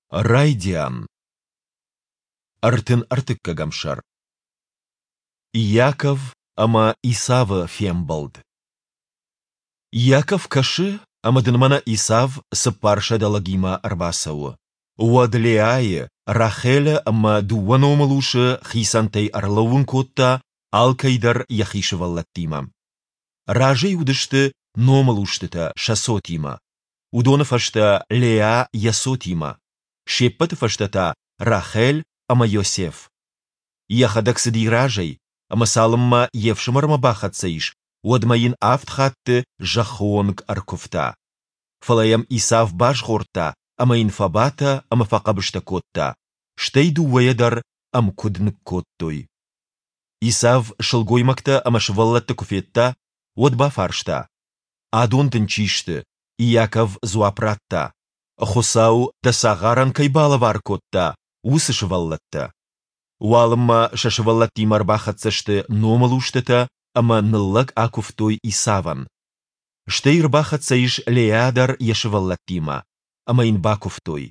Райдиан. 33-ӕм сӕр. Иаков ӕмӕ Исавы фембӕлд. Иаков кӕсы, ӕмӕ дын мӕнӕ Исав 400 лӕгимӕ ӕрбацӕуы. Уӕд Леайы, Рахелы ӕмӕ дыууӕ номылусы хицӕнтӕй ӕрлӕууын кодта, алкӕй дӕр йӕхи сывӕллӕттимӕ. Разӕй уыдысты номылустытӕ сӕ цотимӕ, уыдоны фӕстӕ Леа йӕ цотимӕ, се ппӕты фӕстӕ та Рахель ӕмӕ Йосеф. Йӕхӕдӕг цыди разӕй, ӕмӕ цалынмӕ йе фсымӕрмӕ бахӕццӕ ис, уӕдмӕ йын авд хатты зӕххы онг ӕркуывта. Фӕлӕ йӕм Исав базгъордта ӕмӕ йын фӕбатӕ ӕмӕ фӕхъӕбыстӕ кодта, стӕй дыууӕйӕ дӕр ӕмкуыд ныккодтой. Исав сылгоймӕгтӕ ӕмӕ сывӕллӕтты куы федта, уӕд бафарста: Адон дын чи сты? Иаков дзуапп радта: Хуыцау дӕ цагъарӕн кӕй балӕвар кодта, уыцы сывӕллӕттӕ. Уалынмӕ сӕ сывӕллӕттимӕ ӕрбахӕццӕ сты номылустытӕ ӕмӕ ныллӕг акуывтой Исавӕн. Стӕй ӕрбахӕццӕ ис Леа дӕр йӕ сывӕллӕттимӕ, ӕмӕ йын бакуывтой.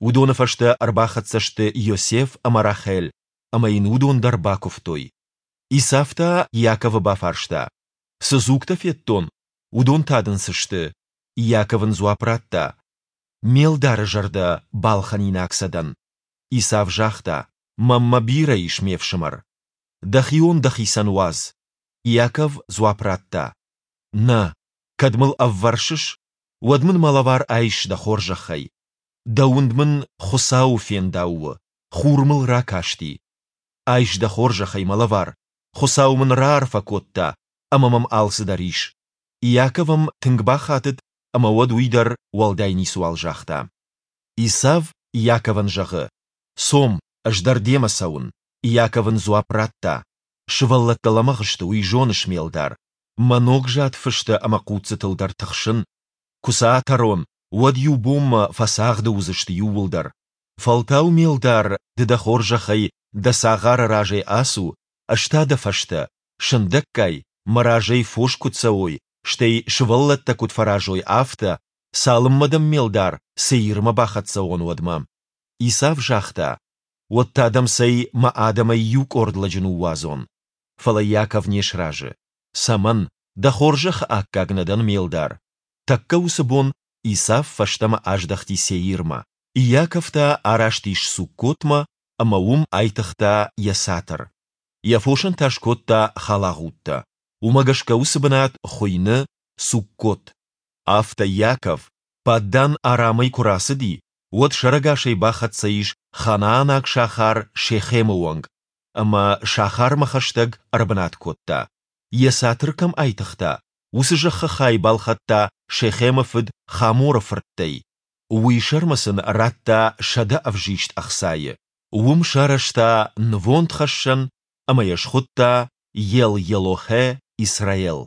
Уыдоны фӕстӕ ӕрбахӕццӕ сты Иосиф ӕмӕ Рахель, ӕмӕ йын уыдон дӕр бакуывтой. Исав та Иаковы бафарста: Цы дзугтӕ федтон, уыдон та дын цы сты? Иаков ын дзуапп радта: Ме лдары зӕрдӕ балхӕнинаг сӕ дӕн. Исав загъта: Мӕнмӕ бирӕ ис, ме фсымӕр. Дӕхион дӕхицӕн уадз. Иаков дзуапп радта: Нӕ, кӕд мыл ӕввӕрсыс, уӕд мын мӕ лӕвар айс дӕ хорзӕхӕй. Дӕ уынд мын Хуыцауы фендау у, хур мыл ракасти. Айс дӕ хорзӕхӕй мӕ лӕвар, Хуыцау мын раарфӕ кодта, ӕмӕ мӕм алцыдӕр ис. Иаков ӕм тынг бахатыд, ӕмӕ уӕд уый дӕр уӕлдай ницыуал загъта. Исав Иаковӕн зӕгъы: Цом, ӕз дӕр демӕ цӕуын. Иаков ын дзуапп радта: Сывӕллӕттӕ лӕмӕгъ сты, уый зоныс, ме лдар. Мӕ ногзад фыстӕ ӕмӕ хъуццытыл дӕр тыхсын. Куы сӕ атӕрон, уӕд иу бонмӕ фӕцагъды уыдзысты иууылдӕр. Фӕлтау, ме лдар, ды дӕ хорзӕхӕй дӕ цагъары разӕй ацу, ӕз та дӕ фӕстӕ, сындӕггай, мӕ разӕй фос куыд цӕуой, стӕй сывӕллӕттӕ куыд фӕразой, афтӕ, цалынмӕ дӕм ме лдар Сеирмӕ бахӕццӕ уон, уӕдмӕ. Исав загъта: Уӕд та дӕм цӕй мӕ адӕмӕй иу къорд лӕджы ныууадзон. Фӕлӕ Иаков не сразы. Цӕмӕн, дӕ хорзӕхы аккаг нӕ дӕн, ме лдар? Тӕккӕ уыцы бон Исав фӕстӕмӕ аздӕхти Сеирмӕ. Иаков та араст ис Суккотмӕ ӕмӕ уым айтыгъта йӕ цатыр. Йӕ фосӕн та скодта халагъудтӕ. Уымӕ гӕсгӕ уыцы бынат хуыйны Суккот. Афтӕ Иаков, Паддан-Арамӕй куы рацыди, уӕд сӕрӕгасӕй бахӕццӕ ис ханаанаг сахар Шехемы онг ӕмӕ сахармӕ хӕстӕг ӕрбынат кодта. Йӕ цатыр кӕм айтыгъта, уыцы зӕххы хай балхӕдта Шехемы фыд Хаморы фырттӕй. Уый сӕрмӕ сын радта 100 ӕвзист ӕхцайы. Уым сарӕзта нывондхӕссӕн ӕмӕ йӕ схуыдта Ел-Елохе Исраел.